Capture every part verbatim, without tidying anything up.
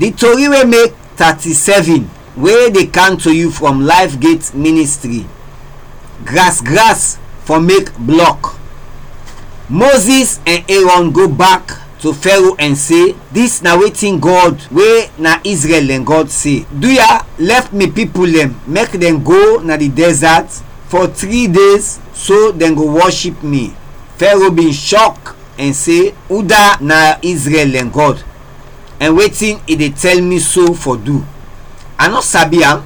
Di tori we mek thirty-seven we dey kam to yu from Life Gate Ministry. Gras gras fɔ mek blɔk. Moses ɛn Aaron go bak to Fero ɛn se, "Dis na wetin Gɔd we na Izrɛl dɛn Gɔd se, 'Duya, lɛf mi pipul dɛn mek dɛn go na di dɛzat fɔ tri de, so dɛn go wɔship mi.'" Fero bin shɔk ɛn se, "Uda na Izrɛl dɛn Gɔd, ɛn wetin i de tɛl mi so fɔ du? A nɔ sabi am,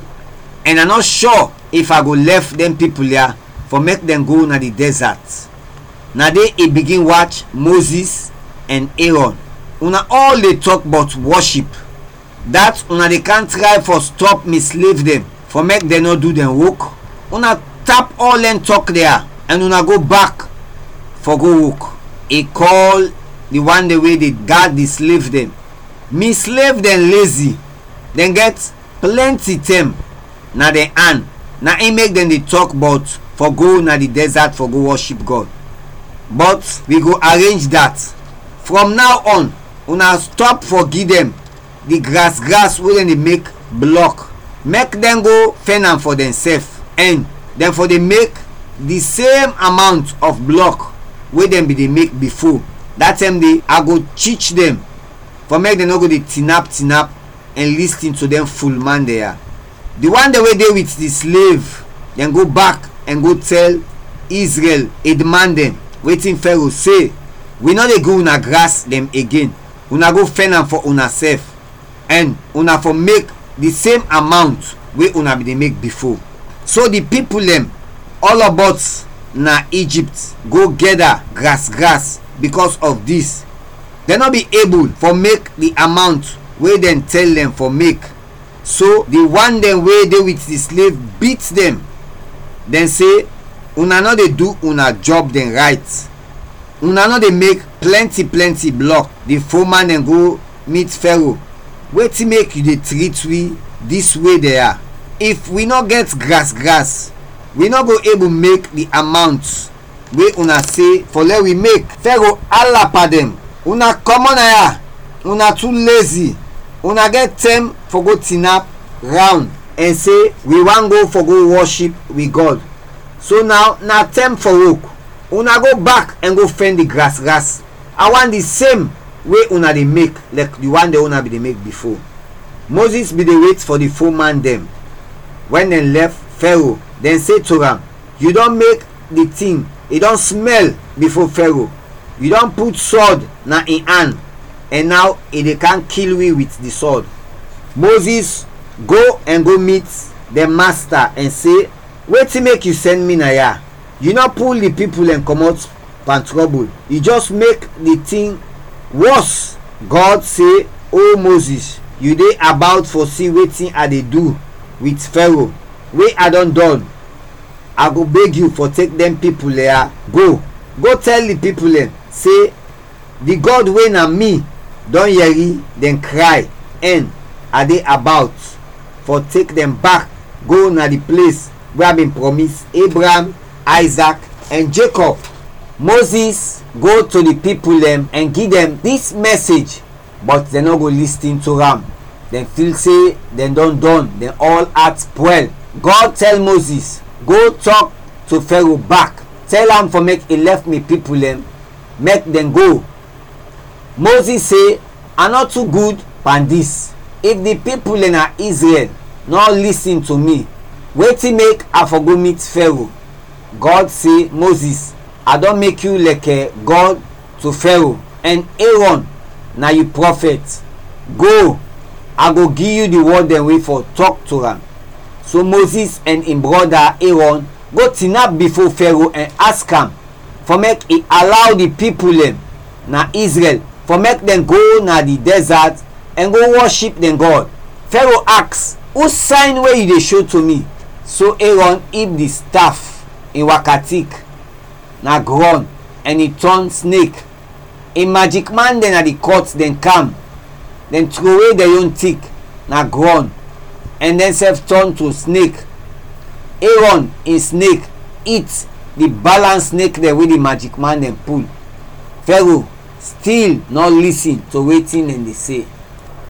ɛn a nɔ shɔ if a go lɛf dɛn pipul ya fɔ mek dɛn go na di dɛzat." Na de i bigin wach Moses ɛn Aaron, "Una ɔl de tɔk bɔt wɔship, dat una de kam tray fɔ stɔp mi slev dɛn fɔ mek dɛn nɔ du dɛn wok. Una tap ɔl dɛn tɔk de ya ɛn una go bak fɔ go wok." I kɔl di wan dɛn we de gad di slev dɛn, "Mi slev dɛn lezi, dɛn gɛt plɛnti tɛm na dɛn an, na in mek dɛn de tɔk bɔt fɔ go na di dɛzat fɔ go wɔship Gɔd. Bɔt wi go arenj dat. From naw ɔn, una stɔp fɔ gi dɛn di gras gras we dɛn de mek blɔk, mek dɛn go fɛn am fɔ dɛnsɛf, ɛn dɛn fɔ de mek di sem amawnt ɔf blɔk we dɛn bin de mek bifo. Da tɛm de a go chich dɛn fɔ mek dɛn nɔ go de tinap tinap ɛn listin to dɛn fulman dɛn ya." Di wan dɛn we de wit di slev dɛn go bak ɛn go tɛl Izrɛl edman dɛn wetin Fero se, "Wi nɔ de gi una gras dɛn igen. Una go fɛn am fɔ unasɛf, ɛn una fɔ mek di sem amawnt we una bin de mek bifo." So di pipul dɛn ɔlɔbɔt na Ijipt go gɛda gras gras bikɔs ɔf dis. Dɛn nɔ bin ebul fɔ mek di amawnt we dɛn tɛl dɛn fɔ mek. So di wan dɛn we de wit di slev bit dɛn. Dɛn se, "Una nɔ de du una jɔb dɛn rayt. Una nɔ de mek plɛnti plɛnti blɔk." Di foman dɛn go mit Fero, "Wetin mek yu de trit wi dis we dɛn ya? If wi nɔ gɛt gras gras, wi nɔ go ebul mek di amawnt we una se fɔ lɛ wi mek." Fero ala pan dɛn, "Una kɔmɔt na ya! Una tu lezi! Una gɛt tɛm fɔ go tinap rawn ɛn se, 'Wi want go fɔ go wɔship wi Gɔd.' So naw na tɛm fɔ wok. Una go bak ɛn go fɛn di gras gras. A want di sem we una de mek, lɛk di wan dɛn we una bin de mek bifo." Moses bin de wet fɔ di fo man dɛn. Wɛn dɛn lɛf Fero, dɛn se to am, "Yu dɔn mek di tin, i dɔn smɛl bifo Fero. Yu dɔn put sɔd na in an, ɛn naw i de kam kil wi wit di sɔd." Moses go ɛn go mit dɛn masta ɛn se, "Wetin mek yu sɛn mi na ya? Yu nɔ pul di pipul dɛn kɔmɔt pan trɔbul, yu jɛs mek di tin wɔs." Gɔd se, "O Moses, yu de abawt fɔ si wetin a de du wit Fero, we a dɔn dɔn. A go beg yu fɔ tek dɛn pipul dɛn ya go. Go tɛl di pipul dɛn se, 'Di Gɔd we na mi dɔn yɛri dɛn kray, ɛn a de abawt fɔ tek dɛn bak go na di ples we a bin prɔmis Ebraam, Ayzak, ɛn Jekɔb.'" Moses go to di pipul dɛn ɛn gi dɛn dis mɛsej, bɔt dɛn nɔ go listin to am. Dɛn fil se dɛn dɔn dɔn, dɛn ɔl at pwɛl. Gɔd tɛl Moses, "Go tɔk to Fero bak, tɛl am fɔ mek i lɛf mi pipul dɛn, mek dɛn go." Moses se, "A nɔ tu gud pan dis. If di pipul dɛn na Izrɛl nɔ lisin to mi, wetin mek a fɔ go mit Fero?" Gɔd se, "Moses, a dɔn mek yu lɛkɛ Gɔd to Fero, ɛn Erɔn na yu prɔfɛt. Go, a go gi yu di wɔd dɛn we fɔ tɔk to am." So Moses ɛn in brɔda Erɔn go tinap bifo Fero ɛn ask am fɔ mek i alaw di pipul dɛn na Izrɛl fɔ mek dɛn go na di dɛzat ɛn go wɔship dɛn Gɔd. Fero aks, "Us sayn we yu de sho to mi?" So Erɔn ib di staf in wakatik na grɔn, ɛn i tɔn snek. In majikman dɛn na di kɔt dɛn kam, dɛn trowe dɛn yon tik na grɔn, ɛn dɛnsɛf tɔn to snek. Erɔn in snek it di balans snek dɛn we di majikman dɛn pul. Fero stil nɔ lisin to wetin dɛn de se.